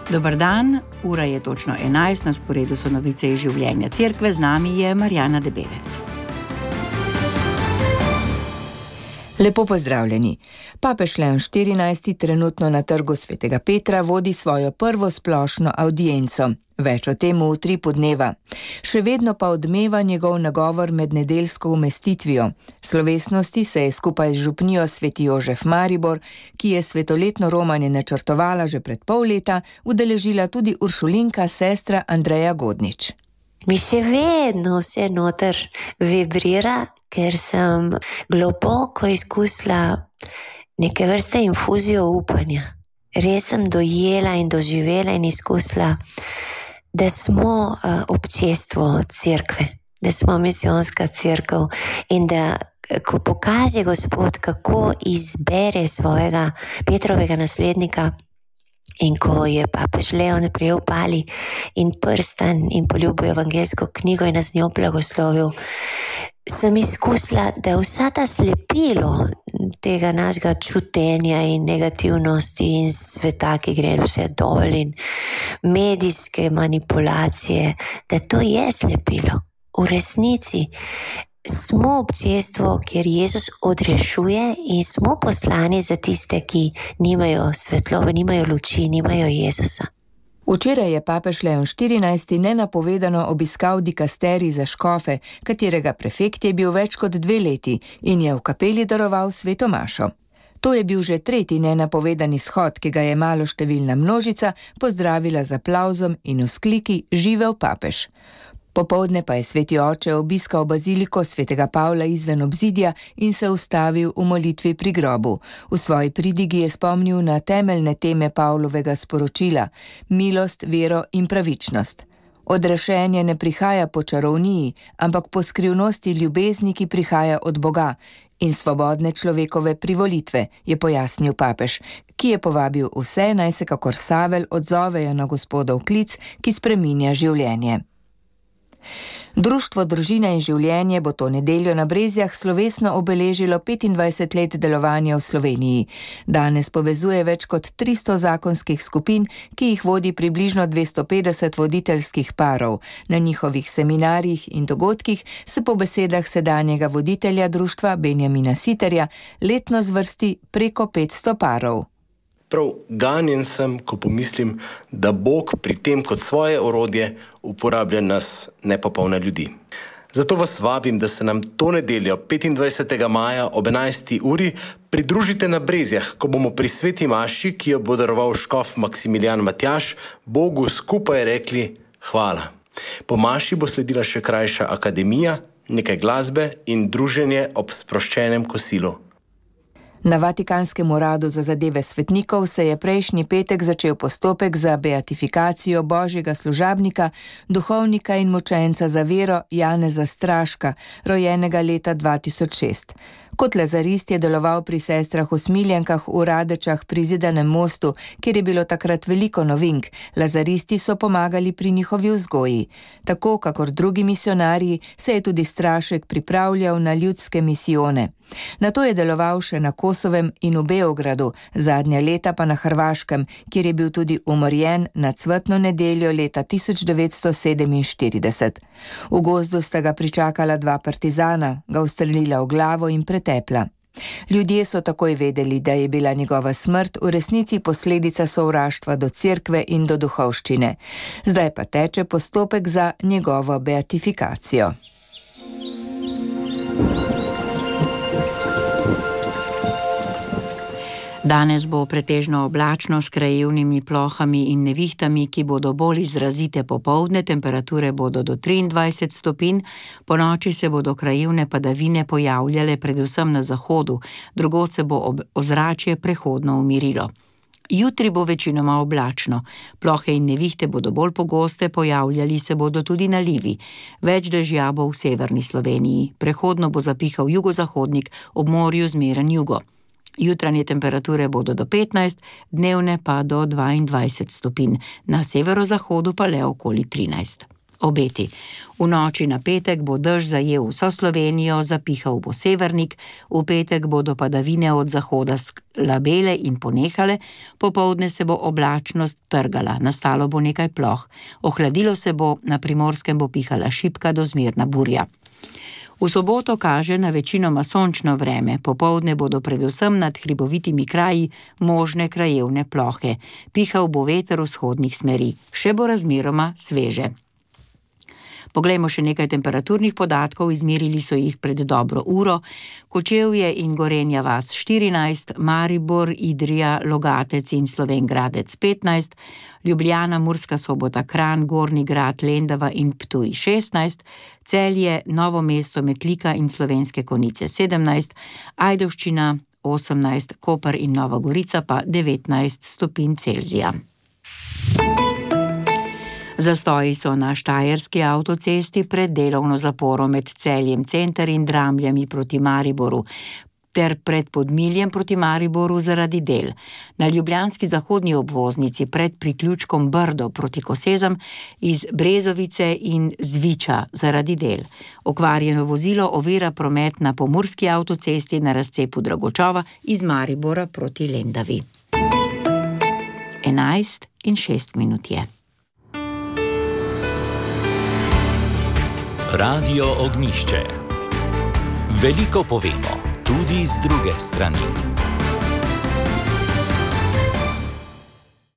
Dober dan, ura je točno 11, na sporedu so novice iz življenja cerkve, z nami je Marjana Debelec. Lepo pozdravljeni. Papež Leon XIV trenutno na Trgu svetega Petra vodi svojo prvo splošno avdienco. Več o tem v utripu dneva. Še vedno pa odmeva njegov nagovor med nedeljsko umestitvijo. Slovesnosti se je skupaj z župnijo Sveti Jožef Maribor, ki je svetoletno romanje načrtovala že pred pol leta, udeležila tudi uršulinka sestra Andreja Godnič. Mi še vedno vse noter vibrira, ker sem globoko izkusila neke vrste infuzijo upanja. Res sem dojela in doživela in izkusila, da smo občestvo cerkve, da smo misijonska cerkev in da ko pokaže Gospod, kako izbere svojega Petrovega naslednika, in ko je papež Leon prejel pali in prstan in poljubil evangeljsko knjigo in nas njo blagoslovil, sem izkusila, da vsa ta slepilo tega našega čutenja in negativnosti in sveta, ki gre vse dol in medijske manipulacije, da to je slepilo. V resnici smo občestvo, kjer Jezus odrešuje in smo poslani za tiste, ki nimajo svetlobe, nimajo luči, nimajo Jezusa. Včeraj je papež Leon XIV nenapovedano obiskal dikasterij za škofe, katerega prefekt je bil več kot 2 leti in je v kapeli daroval sveto mašo. To je bil že 3. nenapovedani shod, ki ga je maloštevilna množica pozdravila z aplavzom in vzkliki "Živel papež". Popoldne pa je sveti oče obiskal baziliko svetega Pavla izven obzidja in se ustavil v molitvi pri grobu. V svoji pridigi je spomnil na temeljne teme Pavlovega sporočila: milost, vero in pravičnost. Odrešenje ne prihaja po čarovniji, ampak po skrivnosti ljubezni, ki prihaja od Boga, in svobodne človekove privolitve, je pojasnil papež, ki je povabil vse, naj se kakor Savel odzovejo na Gospodov klic, ki spreminja življenje. Društvo Družina in življenje bo to nedeljo na Brezjah slovesno obeležilo 25 let delovanja v Sloveniji. Danes povezuje več kot 300 zakonskih skupin, ki jih vodi približno 250 voditeljskih parov. Na njihovih seminarjih in dogodkih se po besedah sedanjega voditelja društva Benjamina Siterja letno zvrsti preko 500 parov. Prav ganjen sem, ko pomislim, da Bog pri tem kot svoje orodje uporablja nas, nepopolne ljudi. Zato vas vabim, da se nam to nedeljo 25. maja ob 11. uri pridružite na Brezjah, ko bomo pri sveti maši, ki jo bo daroval škof Maksimilijan Matjaž, Bogu skupaj rekli hvala. Po maši bo sledila še krajša akademija, nekaj glasbe in druženje ob sproščenem kosilu. Na Vatikanskem uradu za zadeve svetnikov se je prejšnji petek začel postopek za beatifikacijo božjega služabnika, duhovnika in mučenca za vero Janeza Straška, rojenega leta 2006. Kot lazarist je deloval pri sestrah usmiljenkah v Radečah pri Zidanem mostu, kjer je bilo takrat veliko novink. Lazaristi so pomagali pri njihovi vzgoji. Tako, kakor drugi misionarji, se je tudi Strašek pripravljal na ljudske misijone. Nato je deloval še na Kosovem in v Beogradu, zadnja leta pa na Hrvaškem, kjer je bil tudi umorjen na cvetno nedeljo leta 1947. V gozdu sta ga pričakala 2 partizana, ga ustrelila v glavo in pretepla. Ljudje so takoj vedeli, da je bila njegova smrt v resnici posledica sovraštva do cerkve in do duhovščine. Zdaj pa teče postopek za njegovo beatifikacijo. Danes bo pretežno oblačno s krajevnimi plohami in nevihtami, ki bodo bolj izrazite popoldne, temperature bodo do 23 stopinj, ponoči se bodo krajevne padavine pojavljale predvsem na zahodu, drugod se bo ozračje prehodno umirilo. Jutri bo večinoma oblačno, plohe in nevihte bodo bolj pogoste, pojavljali se bodo tudi nalivi. Več dežja bo v severni Sloveniji, prehodno bo zapihal jugozahodnik, ob morju zmeren jugo. Jutranje temperature bodo do 15, dnevne pa do 22 stopinj, na severozahodu pa le okoli 13. Obeti. V noči na petek bo dež zajel vso Slovenijo, zapihal bo severnik, v petek bodo padavine od zahoda slabele in ponehale, popoldne se bo oblačnost trgala, nastalo bo nekaj ploh, ohladilo se bo, na Primorskem bo pihala šibka do zmerna burja. V soboto kaže na večinoma sončno vreme, popoldne bodo predvsem nad hribovitimi kraji možne krajevne plohe. Pihal bo veter vzhodnih smeri, še bo razmeroma sveže. Poglejmo še nekaj temperaturnih podatkov, izmerili so jih pred dobro uro. Kočevje in Gorenja vas 14, Maribor, Idrija, Logatec in Slovenj Gradec 15, Ljubljana, Murska Sobota, Kranj, Gornji Grad, Lendava in Ptuj 16, Celje, Novo mesto, Metlika in Slovenske Konjice 17, Ajdovščina 18, Koper in Nova Gorica pa 19 stopinj Celzija. Zastoji so na štajerski avtocesti pred delovno zaporo med Celjem center in Dramljami proti Mariboru ter pred Podmiljem proti Mariboru zaradi del. Na ljubljanski zahodni obvoznici pred priključkom Brdo proti Kosezam iz Brezovice in Zviča zaradi del. Okvarjeno vozilo ovira promet na pomurski avtocesti na razcepu Dragočova iz Maribora proti Lendavi. 11:06 je. Radio Ognjišče. Veliko povemo, tudi z druge strani.